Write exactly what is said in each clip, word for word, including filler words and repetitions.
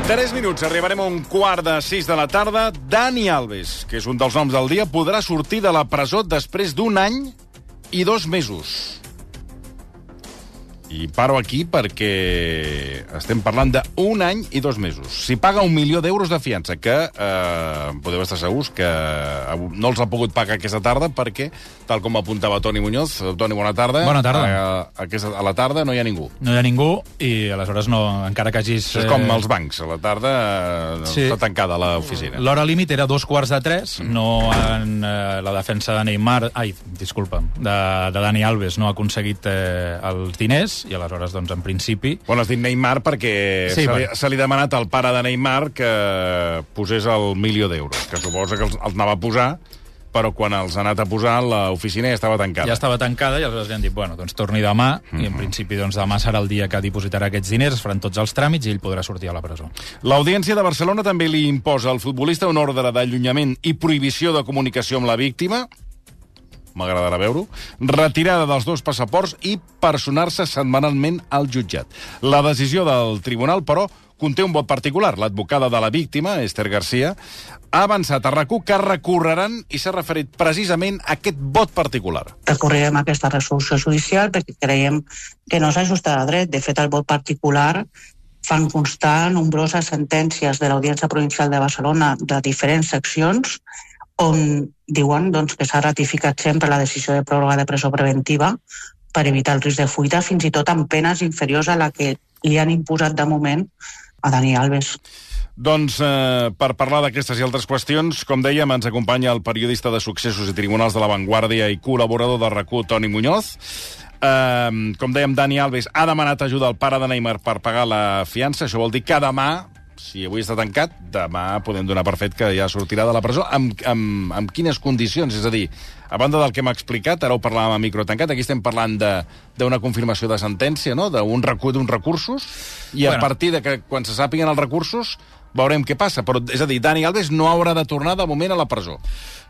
Tres minuts, arribarem a un quart de sis de la tarda. Dani Alves, que és un dels noms del dia, podrà sortir de la presó després d'un any i dos mesos. I paro aquí perquè estem parlant d'un any i dos mesos. Si paga un milió d'euros de fiança, que eh, podeu estar segurs que no els ha pogut pagar aquesta tarda perquè, tal com apuntava Toni Muñoz, Toni, bona tarda. Bona tarda. A, aquesta, a la tarda no hi ha ningú. No hi ha ningú i aleshores no, encara que hagis... Això és com els bancs, a la tarda eh, sí. Està tancada l'oficina. L'hora límit era dos quarts de tres, mm. no en eh, la defensa de Neymar... Ai, disculpa, de, de Dani Alves no ha aconseguit eh, els diners i aleshores, doncs, en principi... Bueno, has dit Neymar perquè sí, se, li, se li ha demanat al pare de Neymar que posés el milió d'euros, que suposa que els, els anava a posar, però quan els ha anat a posar l'oficina ja estava tancada. Ja estava tancada i aleshores li han dit, bueno, doncs torni demà, mm-hmm. i en principi doncs, demà serà el dia que dipositarà aquests diners, es faran tots els tràmits i ell podrà sortir a la presó. L'Audiència de Barcelona també li imposa al futbolista un ordre d'allunyament i prohibició de comunicació amb la víctima, m'agradarà veure-ho, retirada dels dos passaports i personar-se setmanalment al jutjat. La decisió del tribunal, però, conté un vot particular. L'advocada de la víctima, Esther García, ha avançat a RAC u que recorreran i s'ha referit precisament a aquest vot particular. Recorrerem aquesta resolució judicial perquè creiem que no s'ajusta a dret. De fet, el vot particular fan constar nombroses sentències de l'Audiència Provincial de Barcelona de diferents seccions on diuen doncs, que s'ha ratificat sempre la decisió de pròrroga de presó preventiva per evitar el risc de fuita, fins i tot amb penes inferiors a la que li han imposat de moment a Dani Alves. Doncs eh, per parlar d'aquestes i altres qüestions, com dèiem, ens acompanya el periodista de Successos i Tribunals de la Vanguardia i col·laborador de RAC u, Toni Muñoz. Eh, com dèiem, Dani Alves ha demanat ajuda al pare de Neymar per pagar la fiança. Això vol dir que demà, si avui està tancat, demà podem donar per fet que ja sortirà de la presó. Amb, amb, amb quines condicions? És a dir, a banda del que m'ha explicat, ara ho parlàvem a micro tancat, aquí estem parlant d'una confirmació de sentència, no? D'un d'uns recursos, i bueno, a partir de que quan se sàpiguen els recursos veurem què passa. Però, és a dir, Dani Alves no haurà de tornar de moment a la presó.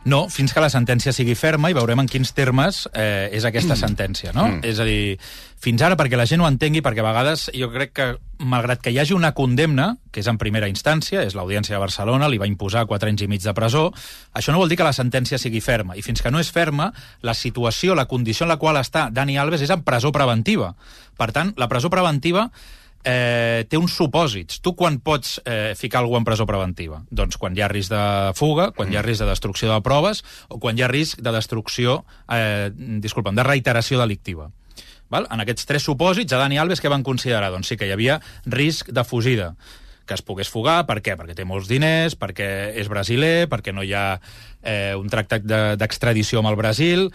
No, fins que la sentència sigui ferma i veurem en quins termes eh, és aquesta mm. sentència, no? Mm. És a dir, fins ara, perquè la gent ho entengui, perquè a vegades jo crec que, malgrat que hi hagi una condemna, que és en primera instància, és l'Audiència de Barcelona, li va imposar quatre anys i mig de presó, això no vol dir que la sentència sigui ferma. I fins que no és ferma, la situació, la condició en la qual està Dani Alves és en presó preventiva. Per tant, la presó preventiva Eh, té uns supòsits. Tu quan pots eh, ficar algú en presó preventiva? Doncs quan hi ha risc de fuga, quan hi ha risc de destrucció de proves o quan hi ha risc de destrucció, eh, disculpa'm, de reiteració delictiva. Val? En aquests tres supòsits, a Dani Alves què van considerar? Doncs sí que hi havia risc de fugida, que es pogués fugar. Per què? Perquè té molts diners, perquè és brasiler, perquè no hi ha eh, un tractat d'extradició amb el Brasil,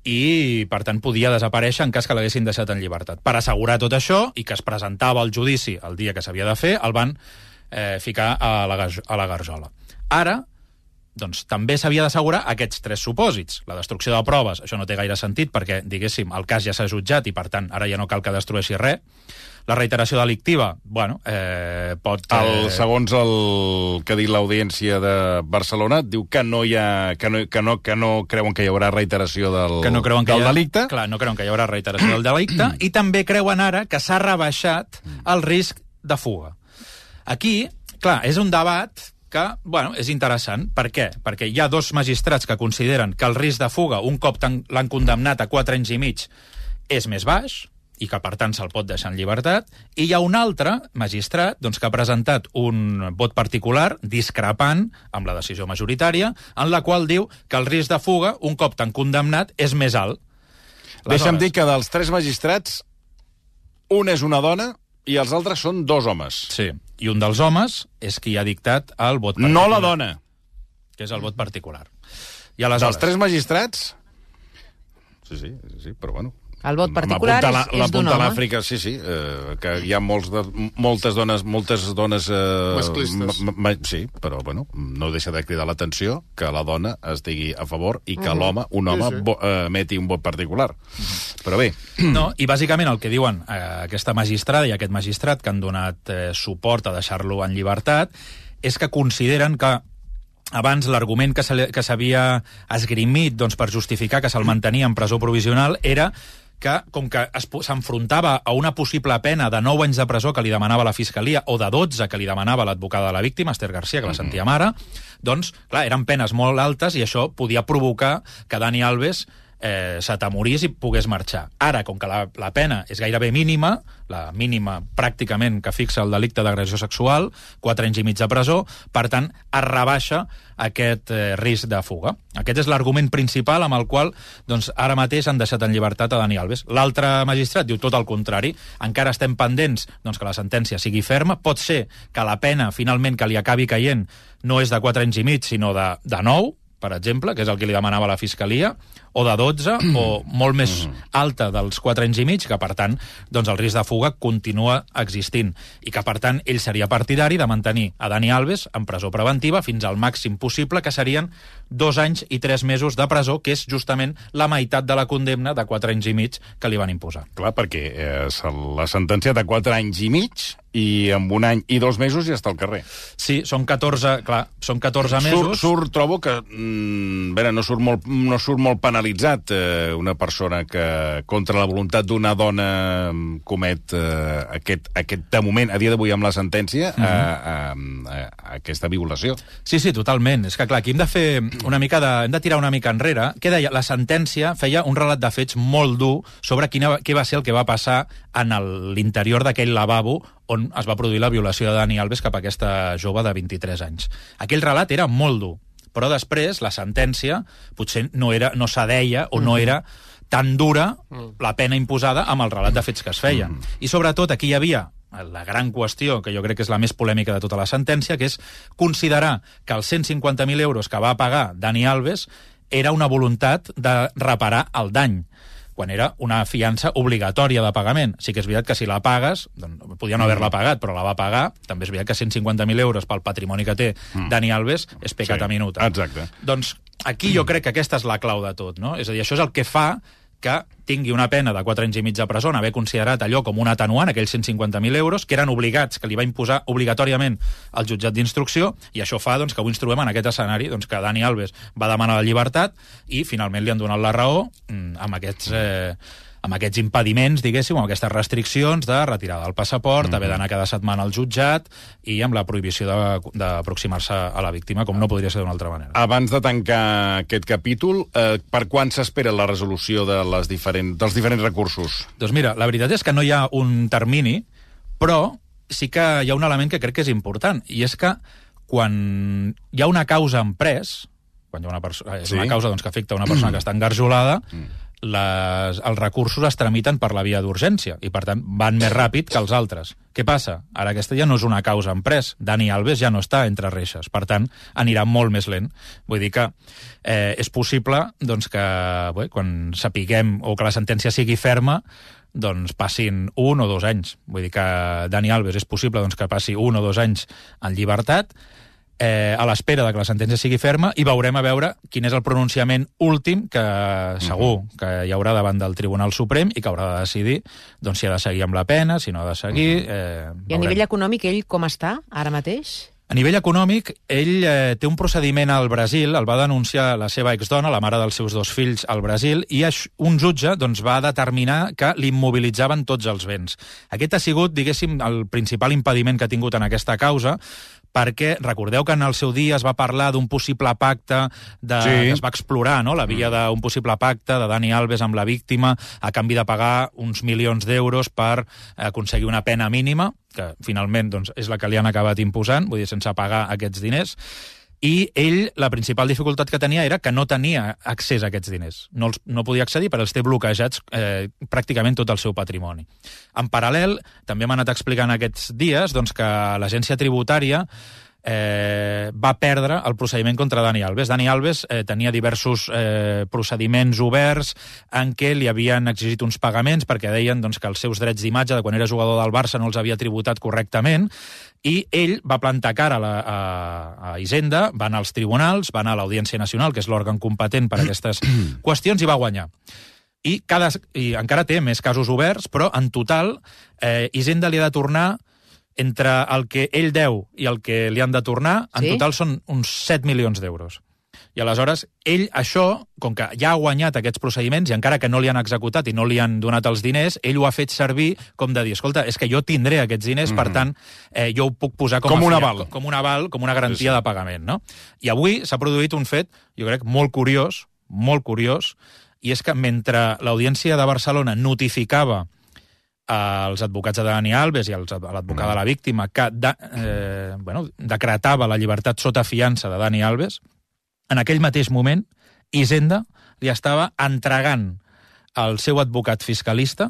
i, per tant, podia desaparèixer en cas que l'haguessin deixat en llibertat. Per assegurar tot això, i que es presentava al judici el dia que s'havia de fer, el van eh, ficar a la, a la garjola. Ara, doncs, també s'havia d'assegurar aquests tres supòsits. La destrucció de proves, això no té gaire sentit, perquè, diguéssim, el cas ja s'ha jutjat i, per tant, ara ja no cal que destrueixi res. La reiteració delictiva, bueno, eh, pot... Eh... El, segons el que ha dit l'Audiència de Barcelona, diu que no hi ha, que no, que no, que no creuen que hi haurà reiteració del, que no creuen que del hi ha, delicte. Clar, no creuen que hi haurà reiteració del delicte, i també creuen ara que s'ha rebaixat el risc de fuga. Aquí, clar, és un debat que, bueno, és interessant. Per què? Perquè hi ha dos magistrats que consideren que el risc de fuga, un cop l'han condemnat a quatre anys i mig, és més baix, i que, per tant, se'l pot deixar en llibertat, i hi ha un altre magistrat doncs, que ha presentat un vot particular discrepant amb la decisió majoritària, en la qual diu que el risc de fuga, un cop tan condemnat, és més alt. Deixa'm dir que dels tres magistrats, un és una dona i els altres són dos homes. Sí, i un dels homes és qui ha dictat el vot particular. No la dona. Que és el vot particular. I aleshores... Dels tres magistrats... Sí, sí, sí, però bueno... El vot particular la, és, és d'un home. L'Àfrica, sí, sí, eh, que hi ha molts de, moltes dones, moltes dones... Eh, masclistes. Sí, però, bueno, no deixa de cridar l'atenció que la dona es digui a favor i que uh -huh. l'home, un home, sí, sí. Bo, eh, emeti un vot particular. Uh -huh. Però bé... No, i bàsicament el que diuen eh, aquesta magistrada i aquest magistrat que han donat eh, suport a deixar-lo en llibertat és que consideren que abans l'argument que s'havia esgrimit doncs, per justificar que se'l mantenia en presó provisional era que, com que s'enfrontava a una possible pena de nou anys de presó que li demanava la Fiscalia, o de dotze que li demanava l'advocada de la víctima, Esther Garcia, que la sentíem ara, doncs, clar, eren penes molt altes i això podia provocar que Dani Alves eh, s'atemorís i pogués marxar. Ara, com que la, la pena és gairebé mínima, la mínima pràcticament que fixa el delicte d'agressió sexual, quatre anys i mig de presó, per tant, es rebaixa aquest eh, risc de fuga. Aquest és l'argument principal amb el qual doncs, ara mateix han deixat en llibertat a Dani Alves. L'altre magistrat diu tot el contrari. Encara estem pendents doncs, que la sentència sigui ferma. Pot ser que la pena finalment que li acabi caient no és de quatre anys i mig, sinó de, de nou, per exemple, que és el que li demanava la Fiscalia, o de dotze, o molt més alta dels quatre anys i mig, que, per tant, doncs el risc de fuga continua existint. I que, per tant, ell seria partidari de mantenir a Dani Alves en presó preventiva fins al màxim possible, que serien dos anys i tres mesos de presó, que és justament la meitat de la condemna de quatre anys i mig que li van imposar. Clar, perquè eh, la sentència de quatre anys i mig i amb un any i dos mesos ja està al carrer. Sí, són catorze, clar, són catorze mesos. Surt, surt trobo que, mm, bé, no surt molt, no surt molt penalitzat eh, una persona que, contra la voluntat d'una dona, comet eh, aquest, aquest, de moment, a dia d'avui amb la sentència, uh-huh. eh, eh, eh, aquesta violació. Sí, sí, totalment. És que, clar, aquí hem de fer una mica de... hem de tirar una mica enrere. Què deia? La sentència feia un relat de fets molt dur sobre quina, què va ser el que va passar en l'interior d'aquell lavabo on es va produir la violació de Dani Alves cap a aquesta jove de vint-i-tres anys. Aquell relat era molt dur, però després la sentència potser no, era, no s'adeia o no era tan dura la pena imposada amb el relat de fets que es feien. I sobretot aquí hi havia la gran qüestió, que jo crec que és la més polèmica de tota la sentència, que és considerar que els cent cinquanta mil euros que va pagar Dani Alves era una voluntat de reparar el dany, quan era una fiança obligatòria de pagament. Sí que és veritat que si la pagues, doncs, podia no haver-la pagat, però la va pagar, també és veritat que cent cinquanta mil euros pel patrimoni que té mm. Dani Alves és pecat sí, a minuta. Exacte. Doncs aquí jo crec que aquesta és la clau de tot, no? És a dir, això és el que fa que tingui una pena de quatre anys i mig de presó, haver considerat allò com un atenuant, aquells cent cinquanta mil euros, que eren obligats, que li va imposar obligatòriament el jutjat d'instrucció, i això fa doncs, que avui ens trobem en aquest escenari, doncs, que Dani Alves va demanar la llibertat i finalment li han donat la raó amb aquests... Eh, amb aquests impediments, diguéssim, amb aquestes restriccions de retirada del passaport, mm-hmm. haver d'anar cada setmana al jutjat i amb la prohibició d'aproximar-se a la víctima, com no podria ser d'una altra manera. Abans de tancar aquest capítol, eh, per quan s'espera la resolució de les diferent, dels diferents recursos? Doncs mira, la veritat és que no hi ha un termini, però sí que hi ha un element que crec que és important, i és que quan hi ha una causa en pres, quan hi ha una persona, és sí. una causa doncs, que afecta una persona que està engarjolada, mm. Les, els recursos es tramiten per la via d'urgència i, per tant, van més ràpid que els altres. Què passa? Ara aquesta ja no és una causa en pres. Dani Alves ja no està entre reixes. Per tant, anirà molt més lent. Vull dir que eh, és possible doncs, que bé, quan sapiguem o que la sentència sigui ferma, doncs passin un o dos anys. Vull dir que Dani Alves és possible doncs, que passi un o dos anys en llibertat, Eh, a l'espera de que la sentència sigui ferma, i veurem a veure quin és el pronunciament últim que segur que hi haurà davant del Tribunal Suprem i que haurà de decidir doncs, si ha de seguir amb la pena, si no ha de seguir... Eh, I a nivell econòmic, ell com està ara mateix? A nivell econòmic, ell eh, té un procediment al Brasil, el va denunciar la seva exdona, la mare dels seus dos fills, al Brasil, i un jutge doncs, va determinar que l'immobilitzaven tots els béns. Aquest ha sigut, diguéssim, el principal impediment que ha tingut en aquesta causa, perquè recordeu que en el seu dia es va parlar d'un possible pacte, de, sí. que es va explorar, no?, la via d'un possible pacte de Dani Alves amb la víctima a canvi de pagar uns milions d'euros per aconseguir una pena mínima, que finalment doncs, és la que li han acabat imposant, vull dir, sense pagar aquests diners. I ell, la principal dificultat que tenia era que no tenia accés a aquests diners. No, els, no podia accedir perquè els té bloquejats eh, pràcticament tot el seu patrimoni. En paral·lel, també m'ha anat explicant aquests dies doncs, que l'agència tributària eh, va perdre el procediment contra Dani Alves. Dani Alves eh, tenia diversos eh, procediments oberts en què li havien exigit uns pagaments perquè deien doncs, que els seus drets d'imatge de quan era jugador del Barça no els havia tributat correctament, i ell va plantar cara a, la, a, a Hisenda, va anar als tribunals, va anar a l'Audiència Nacional, que és l'òrgan competent per a aquestes qüestions, i va guanyar. I, cada, I encara té més casos oberts, però en total eh, Hisenda li ha de tornar entre el que ell deu i el que li han de tornar, en sí? total són uns set milions d'euros. I aleshores, ell, això, com que ja ha guanyat aquests procediments, i encara que no li han executat i no li han donat els diners, ell ho ha fet servir com de dir, escolta, és que jo tindré aquests diners, mm-hmm. per tant, eh, jo ho puc posar com, com a un fiat, aval. Com un aval, com una garantia sí, sí. de pagament, no? I avui s'ha produït un fet, jo crec, molt curiós, molt curiós, i és que mentre l'Audiència de Barcelona notificava als advocats de Dani Alves i a l'advocat de la víctima que de, eh, bueno, decretava la llibertat sota fiança de Dani Alves, en aquell mateix moment Hisenda li estava entregant al seu advocat fiscalista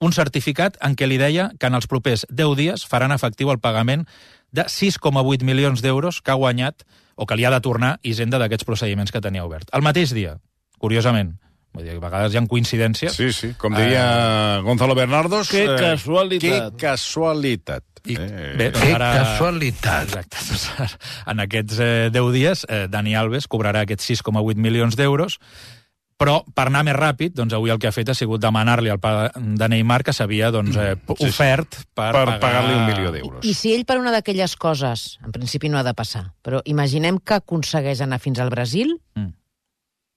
un certificat en què li deia que en els propers deu dies faran efectiu el pagament de sis coma vuit milions d'euros que ha guanyat o que li ha de tornar Hisenda d'aquests procediments que tenia obert. El mateix dia, curiosament. Vull dir, a vegades hi ha coincidències. Sí, sí, com deia uh, Gonzalo Bernardos... Que eh, casualitat. Que casualitat. I, eh, bé, que ara, casualitat. Exacte. Doncs, en aquests eh, deu dies, eh, Dani Alves cobrarà aquests sis coma vuit milions d'euros, però per anar més ràpid, doncs avui el que ha fet ha sigut demanar-li al pare de Neymar que s'havia doncs, eh, sí, ofert sí. per, per pagar... pagar-li un milió d'euros. I, I si ell per una d'aquelles coses, en principi no ha de passar, però imaginem que aconsegueix anar fins al Brasil, mm.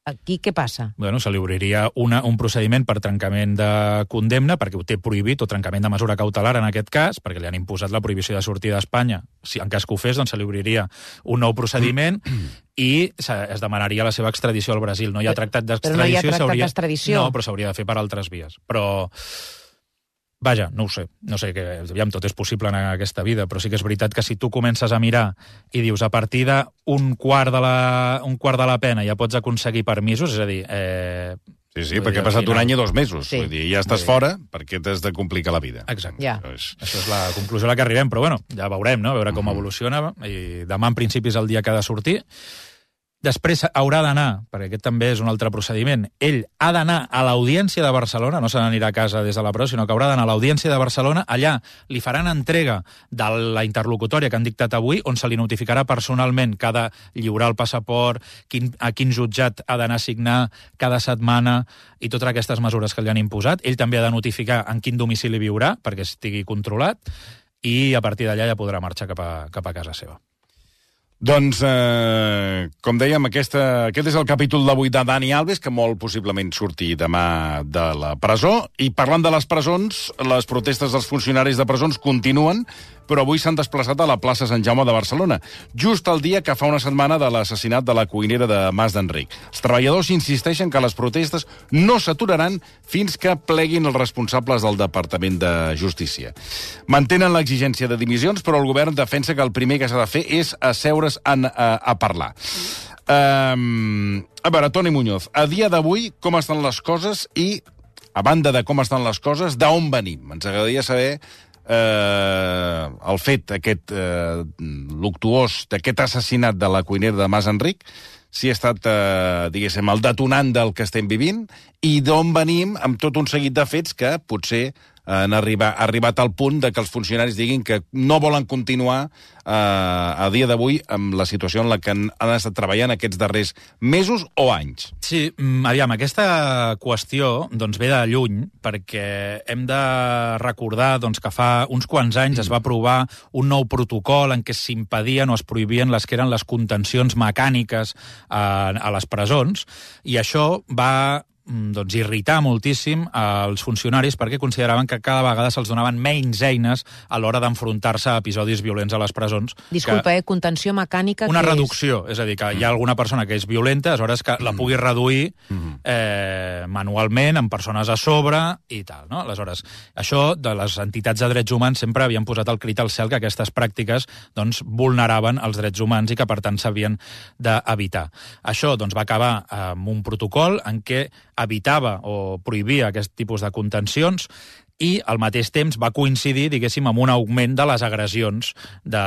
aquí què passa? Bueno, se li obriria una, un procediment per trencament de condemna, perquè ho té prohibit, o trencament de mesura cautelar en aquest cas, perquè li han imposat la prohibició de sortir d'Espanya. Si en cas que ho fes, doncs se li obriria un nou procediment i es demanaria la seva extradició al Brasil. No hi ha tractat d'extradició. Però no hi ha tractat d'extradició. No, però s'hauria de fer per altres vies. Però... Vaja, no ho sé, no sé, que aviam, tot és possible en aquesta vida, però sí que és veritat que si tu comences a mirar i dius a partir d'un quart de la, un quart de la pena ja pots aconseguir permisos, és a dir... Eh, sí, sí, perquè ha passat un any i dos mesos. Sí. Vull dir, ja estàs sí. fora perquè t'has de complicar la vida. Exacte. Ja. És... Això és la conclusió a la que arribem, però bueno, ja veurem, no?, a veure com evoluciona, i demà en principi és el dia que ha de sortir. Després haurà d'anar, perquè aquest també és un altre procediment, ell ha d'anar a l'Audiència de Barcelona, no se n'anirà a casa des de la presó, sinó que haurà d'anar a l'Audiència de Barcelona, allà li faran entrega de la interlocutòria que han dictat avui, on se li notificarà personalment que ha de lliurar el passaport, quin, a quin jutjat ha d'anar a signar cada setmana i totes aquestes mesures que li han imposat. Ell també ha de notificar en quin domicili viurà, perquè estigui controlat, i a partir d'allà ja podrà marxar cap a, cap a casa seva. Doncs, eh, com dèiem, aquesta, aquest és el capítol d'avui de Dani Alves, que molt possiblement surti demà de la presó. I parlant de les presons, les protestes dels funcionaris de presons continuen, però avui s'han desplaçat a la plaça Sant Jaume de Barcelona, just el dia que fa una setmana de l'assassinat de la cuinera de Mas d'Enric. Els treballadors insisteixen que les protestes no s'aturaran fins que pleguin els responsables del Departament de Justícia. Mantenen l'exigència de dimissions, però el govern defensa que el primer que s'ha de fer és asseure's en, a, a parlar. Um, a veure, Toni Muñoz, a dia d'avui com estan les coses i, a banda de com estan les coses, d'on venim? Ens agradaria saber eh, el fet aquest eh, luctuós d'aquest assassinat de la cuinera de Mas Enric, si ha estat, eh, diguéssim, el detonant del que estem vivint, i d'on venim amb tot un seguit de fets que potser han arribat, arribat al punt de que els funcionaris diguin que no volen continuar eh, a dia d'avui amb la situació en la que han, han estat treballant aquests darrers mesos o anys. Sí, aviam, aquesta qüestió doncs, ve de lluny, perquè hem de recordar doncs, que fa uns quants anys es va aprovar un nou protocol en què s'impedien o es prohibien les que eren les contencions mecàniques a, a les presons, i això va doncs, irritar moltíssim als funcionaris perquè consideraven que cada vegada se'ls donaven menys eines a l'hora d'enfrontar-se a episodis violents a les presons. Disculpa, eh? Contenció mecànica... Una que reducció, és... és a dir, que hi ha alguna persona que és violenta, aleshores que la pugui reduir eh, manualment, amb persones a sobre i tal, no? Aleshores, això de les entitats de drets humans sempre havien posat el crit al cel que aquestes pràctiques doncs, vulneraven els drets humans i que, per tant, s'havien d'evitar. Això doncs, va acabar amb un protocol en què evitava o prohibia aquest tipus de contencions i al mateix temps va coincidir, diguéssim, amb un augment de les agressions de...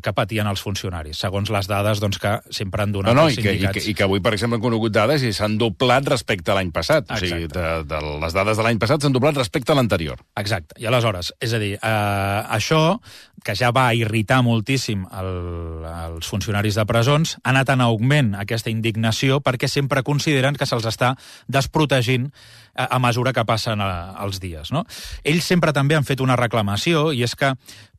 que patien els funcionaris, segons les dades doncs, que sempre han donat no, no, els sindicats. I que, i, que, I que avui, per exemple, han conegut dades i s'han doblat respecte a l'any passat. Exacte. O sigui, de, de les dades de l'any passat s'han doblat respecte a l'anterior. Exacte. I aleshores, és a dir, eh, això, que ja va irritar moltíssim el, els funcionaris de presons, ha anat en augment aquesta indignació perquè sempre consideren que se'ls està desprotegint a, a mesura que passen a, els dies, no? Ells sempre també han fet una reclamació, i és que,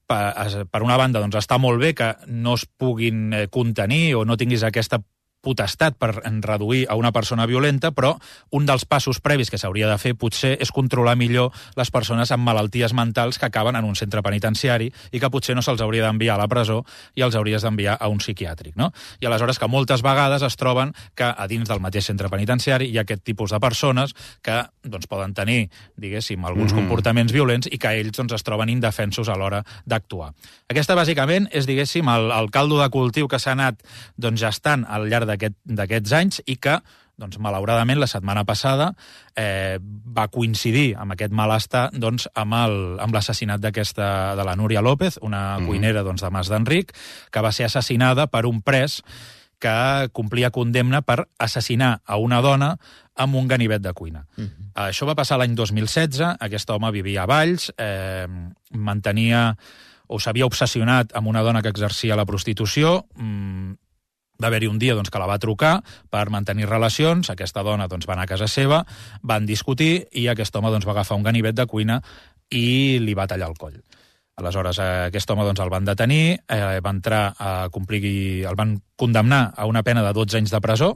per una banda, doncs, està molt bé que no es puguin contenir o no tinguis aquesta potestat per reduir a una persona violenta, però un dels passos previs que s'hauria de fer potser és controlar millor les persones amb malalties mentals que acaben en un centre penitenciari i que potser no se'ls hauria d'enviar a la presó i els hauries d'enviar a un psiquiàtric, no? I aleshores que moltes vegades es troben que a dins del mateix centre penitenciari hi ha aquest tipus de persones que doncs, poden tenir, diguéssim, alguns mm-hmm. comportaments violents i que ells doncs, es troben indefensos a l'hora d'actuar. Aquesta, bàsicament, és, diguéssim, el, el caldo de cultiu que s'ha anat doncs, gestant al llarg d'aquests anys i que, doncs, malauradament, la setmana passada eh, va coincidir amb aquest malestar doncs, amb l'assassinat d'aquesta de la Núria López, una mm. cuinera doncs, de Mas d'Enric, que va ser assassinada per un pres que complia condemna per assassinar a una dona amb un ganivet de cuina. Mm-hmm. Això va passar l'any dos mil setze, aquest home vivia a Valls, eh, mantenia o s'havia obsessionat amb una dona que exercia la prostitució. mm, Va haver-hi un dia doncs, que la va trucar per mantenir relacions, aquesta dona doncs, va anar a casa seva, van discutir i aquest home doncs, va agafar un ganivet de cuina i li va tallar el coll. Aleshores, eh, aquest home doncs, el van detenir, eh, va entrar a complir, el van condemnar a una pena de dotze anys de presó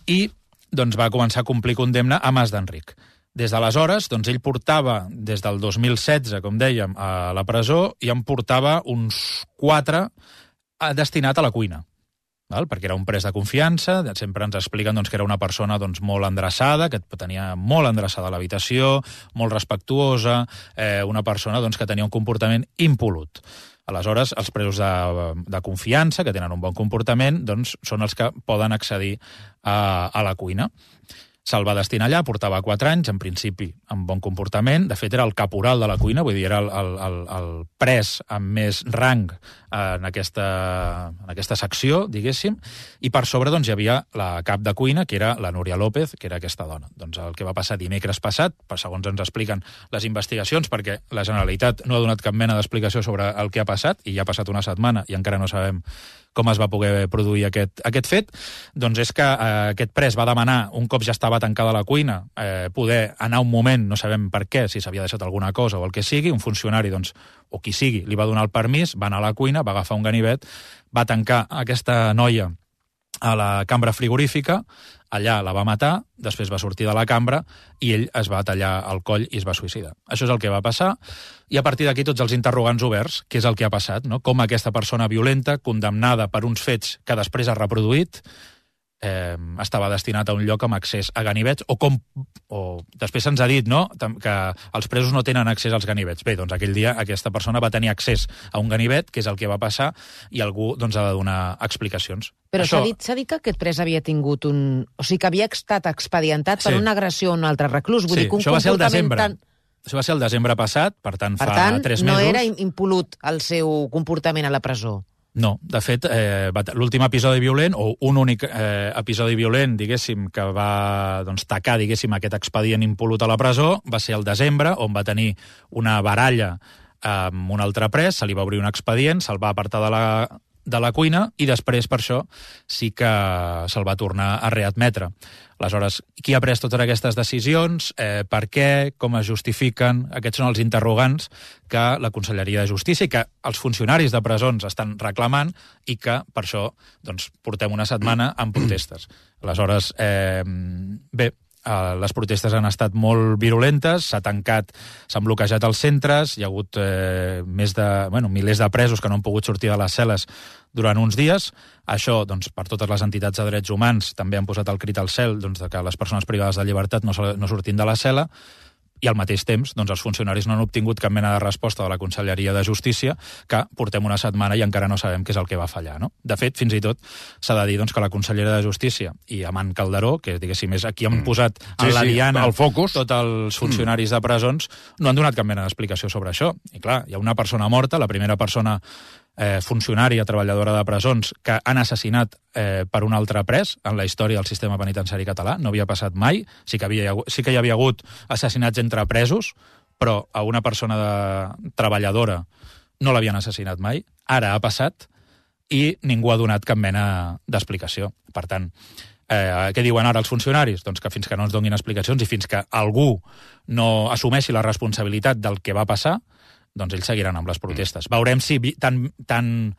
i doncs, va començar a complir condemna a Mas d'Enric. Des d'aleshores, doncs, ell portava, des del dos mil setze, com dèiem, a la presó, i en portava uns quatre destinat a la cuina. Val? Perquè era un pres de confiança, sempre ens expliquen doncs, que era una persona doncs, molt endreçada, que tenia molt endreçada l'habitació, molt respectuosa, eh, una persona doncs, que tenia un comportament impolut. Aleshores, els presos de, de confiança, que tenen un bon comportament, doncs, són els que poden accedir a, a la cuina. Se'l va destinar allà, portava quatre anys, en principi amb bon comportament. De fet, era el caporal de la cuina, vull dir, era el, el, el, el pres amb més rang en aquesta, en aquesta secció, diguéssim, i per sobre doncs, hi havia la cap de cuina, que era la Núria López, que era aquesta dona. Doncs el que va passar dimecres passat, segons ens expliquen les investigacions, perquè la Generalitat no ha donat cap mena d'explicació sobre el que ha passat, i ja ha passat una setmana i encara no sabem com es va poder produir aquest, aquest fet, doncs és que eh, aquest pres va demanar, un cop ja estava tancada la cuina, eh, poder anar un moment, no sabem per què, si s'havia deixat alguna cosa o el que sigui, un funcionari, doncs, o qui sigui, li va donar el permís, va anar a la cuina, va agafar un ganivet, va tancar aquesta noia a la cambra frigorífica, allà la va matar, després va sortir de la cambra i ell es va tallar el coll i es va suïcidar. Això és el que va passar i a partir d'aquí tots els interrogants oberts, què és el que ha passat, no? Com aquesta persona violenta, condemnada per uns fets que després ha reproduït, eh, estava destinat a un lloc amb accés a ganivets, o com o després se'ns ha dit, no?, que els presos no tenen accés als ganivets. Bé, doncs aquell dia aquesta persona va tenir accés a un ganivet, que és el que va passar, i algú doncs, ha de donar explicacions. Però Això... s'ha dit, s'ha dit que aquest pres havia tingut un... O sigui, que havia estat expedientat per Sí. una agressió a un altre reclús. Vull Sí, dir que un això va ser el comportament desembre. tan... Això va ser el desembre passat, per tant, Per fa tant, tres no mesos. era impolut el seu comportament a la presó. No, de fet, eh, l'últim episodi violent, o un únic eh, episodi violent, diguéssim, que va doncs, tacar, diguéssim, aquest expedient impolut a la presó, va ser el desembre, on va tenir una baralla amb un altre pres, se li va obrir un expedient, se'l va apartar de la, de la cuina, i després, per això, sí que se'l va tornar a readmetre. Aleshores, qui ha pres totes aquestes decisions, eh, per què, com es justifiquen? Aquests són els interrogants que la Conselleria de Justícia i que els funcionaris de presons estan reclamant i que, per això, doncs, portem una setmana amb protestes. Aleshores, eh, bé, eh, les protestes han estat molt virulentes, s'ha tancat, s'han bloquejat els centres, hi ha hagut eh, més de, bueno, milers de presos que no han pogut sortir de les cel·les durant uns dies. Això, doncs, per totes les entitats de drets humans, també han posat el crit al cel doncs, de que les persones privades de llibertat no, no surtin de la cel·la, i al mateix temps doncs, els funcionaris no han obtingut cap mena de resposta de la Conselleria de Justícia, que portem una setmana i encara no sabem què és el que va fallar. No? De fet, fins i tot s'ha de dir doncs, que la consellera de Justícia i Amant Calderó, que diguéssim és aquí han posat en Sí, la sí, diana el focus. tots els funcionaris de presons, no han donat cap mena d'explicació sobre això. I clar, hi ha una persona morta, la primera persona eh, funcionària, treballadora de presons, que han assassinat eh, per un altre pres en la història del sistema penitenciari català. No havia passat mai. Sí que, havia, sí que hi havia hagut assassinats entre presos, però a una persona de, treballadora no l'havien assassinat mai. Ara ha passat i ningú ha donat cap mena d'explicació. Per tant, eh, què diuen ara els funcionaris? Doncs que fins que no ens donin explicacions i fins que algú no assumeixi la responsabilitat del que va passar, doncs ells seguiran amb les protestes. Veurem si tan, tan,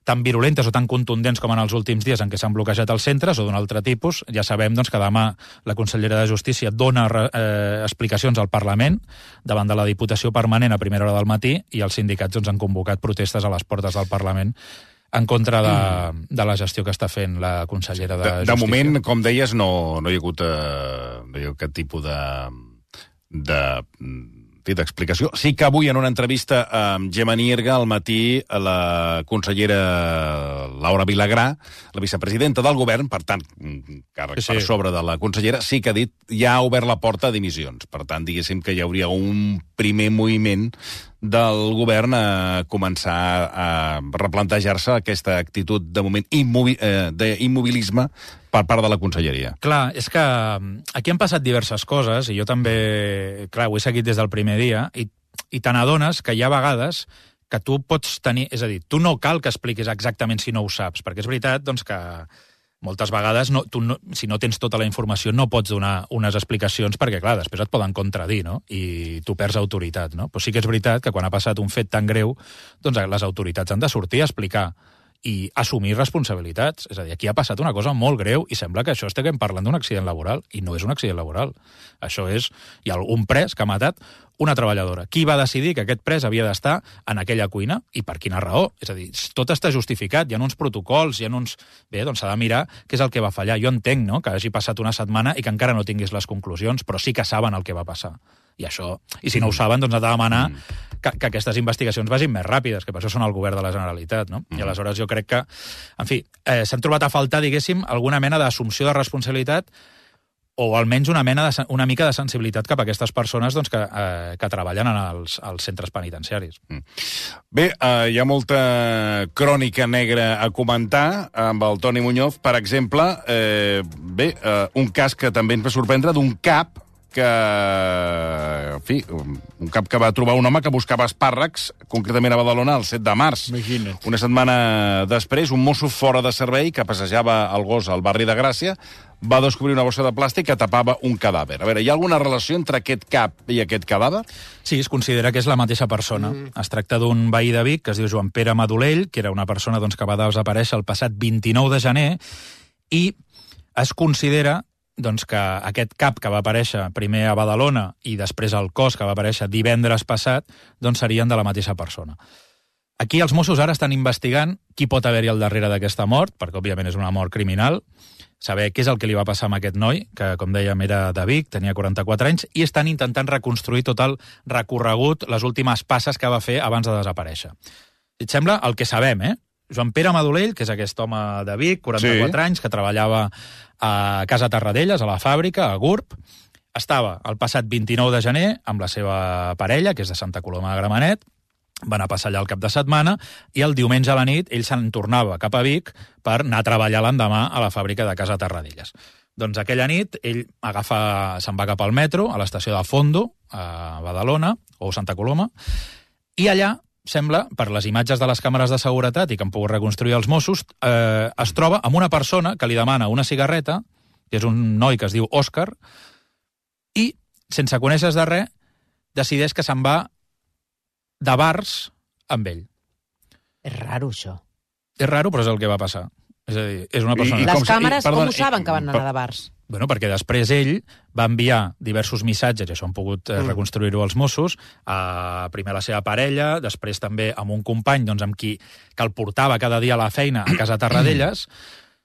tan virulentes o tan contundents com en els últims dies en què s'han bloquejat els centres o d'un altre tipus. Ja sabem doncs, que demà la consellera de Justícia dona eh, explicacions al Parlament davant de la Diputació Permanent a primera hora del matí i els sindicats doncs, han convocat protestes a les portes del Parlament en contra de, de la gestió que està fent la consellera de, de Justícia. De moment, com deies, no, no hi ha hagut, eh, no hi ha hagut cap tipus de... de d'explicació. Sí que avui, en una entrevista amb Gemma Nierga, al matí, la consellera Laura Vilagrà, la vicepresidenta del govern, per tant, càrrec sí, sí. per sobre de la consellera, sí que ha dit, ja ha obert la porta a dimissions. Per tant, diguéssim que hi hauria un primer moviment del govern a començar a replantejar-se aquesta actitud de moment immobi- eh, d'immobilisme per part de la conselleria. Clar, és que aquí han passat diverses coses, i jo també, clar, ho he seguit des del primer dia, i, i te n'adones que hi ha vegades que tu pots tenir... És a dir, tu no cal que expliquis exactament si no ho saps, perquè és veritat doncs, que moltes vegades, no, tu no, si no tens tota la informació, no pots donar unes explicacions, perquè, clar, després et poden contradir, no? I tu perds autoritat, no? Però sí que és veritat que quan ha passat un fet tan greu, doncs les autoritats han de sortir a explicar i assumir responsabilitats. És a dir, aquí ha passat una cosa molt greu i sembla que això estiguem parlant d'un accident laboral, i no és un accident laboral. Això és... Hi ha un pres que ha matat una treballadora. Qui va decidir que aquest pres havia d'estar en aquella cuina i per quina raó? És a dir, tot està justificat, hi ha uns protocols, hi ha uns... Bé, doncs s'ha de mirar què és el que va fallar. Jo entenc, no?, que hagi passat una setmana i que encara no tinguis les conclusions, però sí que saben el que va passar. I això... I si no ho saben, doncs ha de demanar que, que aquestes investigacions vagin més ràpides, que per això són el govern de la Generalitat, no? I aleshores jo crec que, en fi, eh, s'han trobat a faltar, diguéssim, alguna mena d'assumpció de responsabilitat o almenys una mena de, una mica de sensibilitat cap a aquestes persones doncs, que, eh, que treballen en els, als centres penitenciaris. Bé, eh, hi ha molta crònica negra a comentar amb el Toni Muñoz. Per exemple, eh, bé, eh, un cas que també ens va sorprendre d'un cap que, en fi, un cap que va trobar un home que buscava espàrrecs, concretament a Badalona, el set de març. Imagina't. Una setmana després, un mosso fora de servei que passejava el gos al barri de Gràcia va descobrir una bossa de plàstic que tapava un cadàver. A veure, hi ha alguna relació entre aquest cap i aquest cadàver? Sí, es considera que és la mateixa persona. Mm. Es tracta d'un veí de Vic que es diu Joan Pere Madolell, que era una persona doncs, que va desaparèixer el passat vint-i-nou de gener, i es considera doncs que aquest cap que va aparèixer primer a Badalona i després al cos que va aparèixer divendres passat, doncs serien de la mateixa persona. Aquí els Mossos ara estan investigant qui pot haver-hi al darrere d'aquesta mort, perquè òbviament és una mort criminal, saber què és el que li va passar amb aquest noi, que com dèiem era de Vic, tenia quaranta-quatre anys, i estan intentant reconstruir tot el recorregut, les últimes passes que va fer abans de desaparèixer. Si et sembla, el que sabem, eh? Joan Pere Madolell, que és aquest home de Vic, quaranta-quatre sí. anys, que treballava a Casa Tarradellas, a la fàbrica, a Gurb, estava el passat vint-i-nou de gener amb la seva parella, que és de Santa Coloma de Gramenet, van a passar allà el cap de setmana, i el diumenge a la nit ell se'n tornava cap a Vic per anar a treballar l'endemà a la fàbrica de Casa Tarradellas. Doncs aquella nit ell agafa, se'n va cap al metro, a l'estació de Fondo, a Badalona, o Santa Coloma, i allà sembla, per les imatges de les càmeres de seguretat i que han pogut reconstruir els Mossos, eh, es troba amb una persona que li demana una cigarreta, que és un noi que es diu Òscar, i, sense conèixer de res, decideix que se'n va de bars amb ell. És raro, això. És raro, però és el que va passar. És a dir, és una persona... I, i les com, càmeres, i, perdona, com ho saben i, que van anar de bars? Bueno, perquè després ell va enviar diversos missatges, i això han pogut eh, reconstruir-ho els Mossos, a, primer a la seva parella, després també amb un company doncs, amb qui que el portava cada dia a la feina a Casa Tarradellas,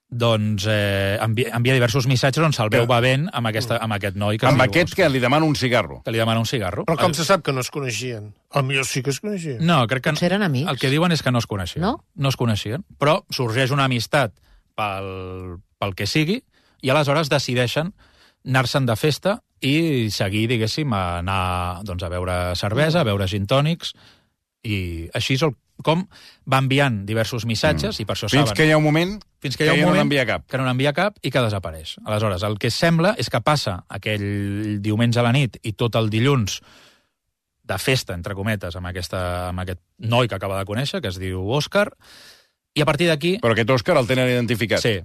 doncs eh, envia, envia diversos missatges on se'l veu bevent amb, aquesta, amb aquest noi. Que amb aquest que li demana un cigarro. Que li demana un cigarro. Però com el... se sap que no es coneixien? A millor sí que es coneixien. No, crec que... Potser eren amics. El que diuen és que no es coneixien. No? No es coneixien. Però sorgeix una amistat pel, pel que sigui, i aleshores decideixen anar-se'n de festa i seguir, diguéssim, a anar doncs, a beure cervesa, a beure gin tònics, i així és el, com va enviant diversos missatges, mm. i per això Fins saben... que hi ha un moment Fins que, hi ha un que moment no n'envia cap. Que no n'envia cap i que desapareix. Aleshores, el que sembla és que passa aquell diumenge a la nit i tot el dilluns de festa, entre cometes, amb, aquesta, amb aquest noi que acaba de conèixer, que es diu Òscar, i a partir d'aquí... Però aquest Òscar el tenen identificat. Sí,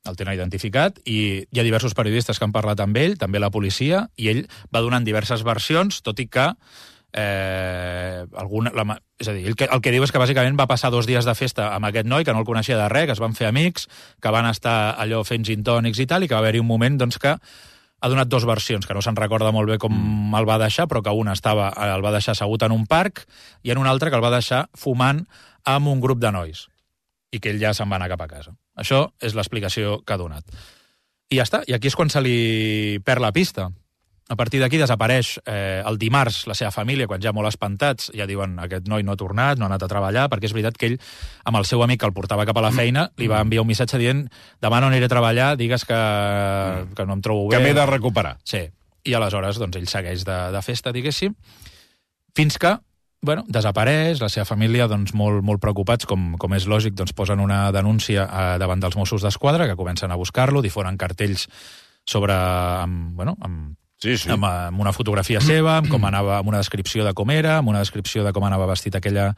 el tenen identificat, i hi ha diversos periodistes que han parlat amb ell, també la policia, i ell va donant diverses versions, tot i que eh, el alguna, la, és a dir, el que, el que diu és que bàsicament va passar dos dies de festa amb aquest noi, que no el coneixia de res, que es van fer amics, que van estar allò fent gin tònics i tal, i que va haver-hi un moment doncs, que ha donat dues versions, que no se'n recorda molt bé com mm. el va deixar, però que una estava, el va deixar assegut en un parc i en una altra que el va deixar fumant amb un grup de nois i que ell ja se'n va anar cap a casa. Això és l'explicació que ha donat. I ja està, i aquí és quan se li perd la pista. A partir d'aquí desapareix eh, el dimarts la seva família, quan ja molt espantats, ja diuen aquest noi no ha tornat, no ha anat a treballar, perquè és veritat que ell, amb el seu amic que el portava cap a la feina, li va enviar un missatge dient demà no aniré a treballar, digues que, que no em trobo bé. Que m'he de recuperar. Sí, i aleshores doncs, ell segueix de, de festa, diguéssim, fins que bueno, desapareix, la seva família doncs, molt, molt preocupats, com, com és lògic, doncs, posen una denúncia eh, davant dels Mossos d'Esquadra, que comencen a buscar-lo, difonen cartells sobre... Amb, bueno, amb Sí, sí. Amb, amb una fotografia seva, amb com anava, amb una descripció de com era, amb una descripció de com anava vestit aquella,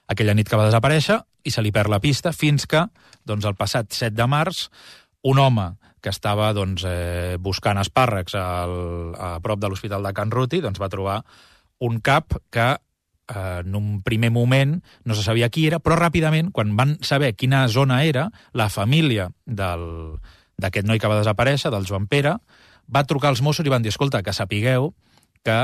aquella nit que va desaparèixer, i se li perd la pista fins que, doncs, el passat set de març, un home que estava doncs, eh, buscant espàrrecs al, a prop de l'Hospital de Can Ruti, doncs, va trobar un cap que eh, en un primer moment no se sabia qui era, però ràpidament, quan van saber quina zona era, la família del, d'aquest noi que va desaparèixer, del Joan Pere, va trucar als Mossos i van dir, escolta, que sapigueu que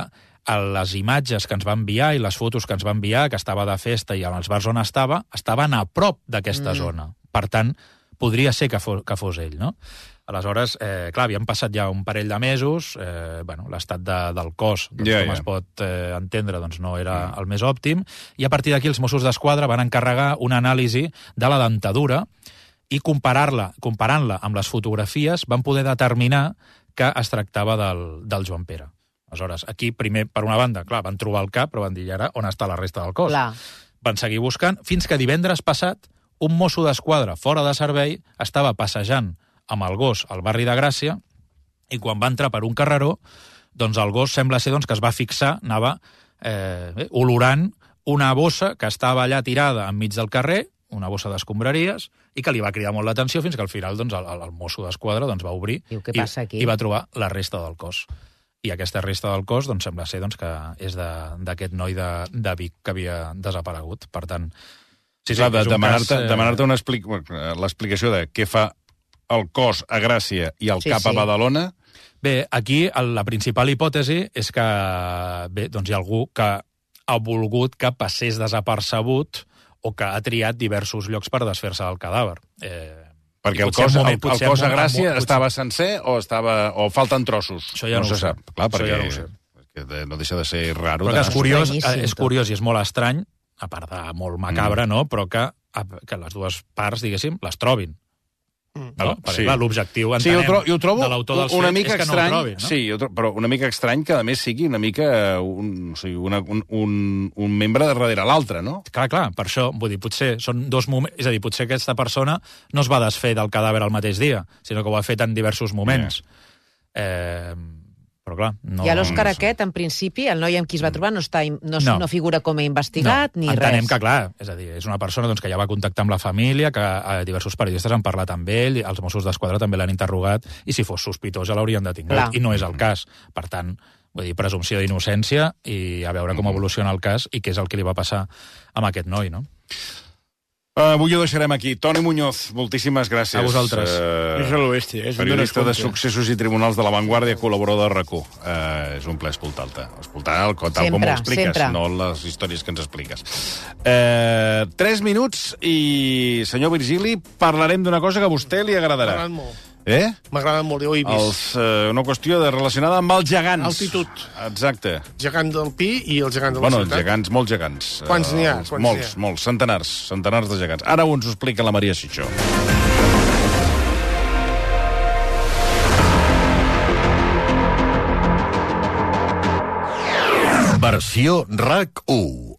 les imatges que ens va enviar i les fotos que ens va enviar, que estava de festa i als bars on estava, estaven a prop d'aquesta mm. zona. Per tant, podria ser que fos, que fos ell, no? Aleshores, eh, clar, havien passat ja un parell de mesos, eh, bueno, l'estat de, del cos, doncs, yeah, com yeah. es pot eh, entendre, doncs no era mm. el més òptim, i a partir d'aquí els Mossos d'Esquadra van encarregar una anàlisi de la dentadura i comparar-la, comparant-la amb les fotografies, van poder determinar que es tractava del, del Joan Pere. Aleshores, aquí, primer, per una banda, clar, van trobar el cap, però van dir, ara, on està la resta del cos? Clar. Van seguir buscant, fins que divendres passat, un mosso d'esquadra fora de servei estava passejant amb el gos al barri de Gràcia, i quan va entrar per un carreró, doncs el gos sembla ser doncs, que es va fixar, anava eh, olorant una bossa que estava allà tirada enmig del carrer, una bossa d'escombraries, i que li va cridar molt l'atenció fins que al final doncs, el, el mosso d'esquadra doncs, va obrir Diu, què i, passa aquí? i va trobar la resta del cos. I aquesta resta del cos doncs, sembla ser doncs, que és d'aquest noi de, de Vic que havia desaparegut. Per tant, sí, sí, clar, de, demanar-te eh... demanar una explic... l'explicació de què fa el cos a Gràcia i el sí, cap sí. a Badalona. Bé, aquí la principal hipòtesi és que bé, doncs hi ha algú que ha volgut que passés desapercebut o que ha triat diversos llocs per desfer-se del cadàver. Eh, Perquè el cos, moment, el, el cos a Gràcia moment, estava sencer o, estava, o falten trossos? Això ja no, no se sap. Clar, perquè ja no, ho sé. Perquè no deixa de ser raro. Però que és curiós, és curiós i és molt estrany, a part de molt macabre, mm. no? Però que, que les dues parts, diguéssim, les trobin. Mm. No? Sí. L'objectiu, entenem, sí, jo, tro jo trobo de l'autor dels una fets mica és que estrany, no el trobin, no? Sí, jo trobo, però una mica estrany que, a més, sigui una mica un, o sigui, una, un, un, un membre de darrere l'altre, no? Clar, clar, per això, vull dir, potser són dos moments... És a dir, potser aquesta persona no es va desfer del cadàver al mateix dia, sinó que ho ha fet en diversos moments. Yeah. Eh... Però clar, no... I a l'Òscar aquest, en principi, el noi amb qui es va trobar no, està, no, no. no figura com a investigat no. ni Entenem res. Entenem que, clar, és a dir, és una persona doncs, que ja va contactar amb la família, que eh, diversos periodistes han parlat amb ell, els Mossos d'Esquadra també l'han interrogat, i si fos sospitós ja l'haurien detingut, clar. I no és el cas. Per tant, vull dir, presumpció d'innocència i a veure com evoluciona el cas i què és el que li va passar amb aquest noi, no? Uh, avui ho deixarem aquí. Toni Muñoz, moltíssimes gràcies. A vosaltres. Uh, és a l'oeste. Eh? Periodista de Successos i Tribunals de la Vanguardia, col·laborador de RAC u. Uh, és un plaer escoltar-te. Escoltar el tal sempre, com ho expliques, sempre. No les històries que ens expliques. Uh, tres minuts i, senyor Virgili, parlarem d'una cosa que a vostè li agradarà. M'agrada molt. Eh? M'agrada molt, jo ho he vist. Els, uh, una qüestió de, relacionada amb els gegants. Altitud. Exacte. Gegant del Pi i el gegant de la bueno, ciutat. Bueno, gegants, molts gegants. Quants n'hi ha? Uh, molts, ha? molts, centenars, centenars de gegants. Ara ho ens ho explica la Maria Xixó. Versió RAC u.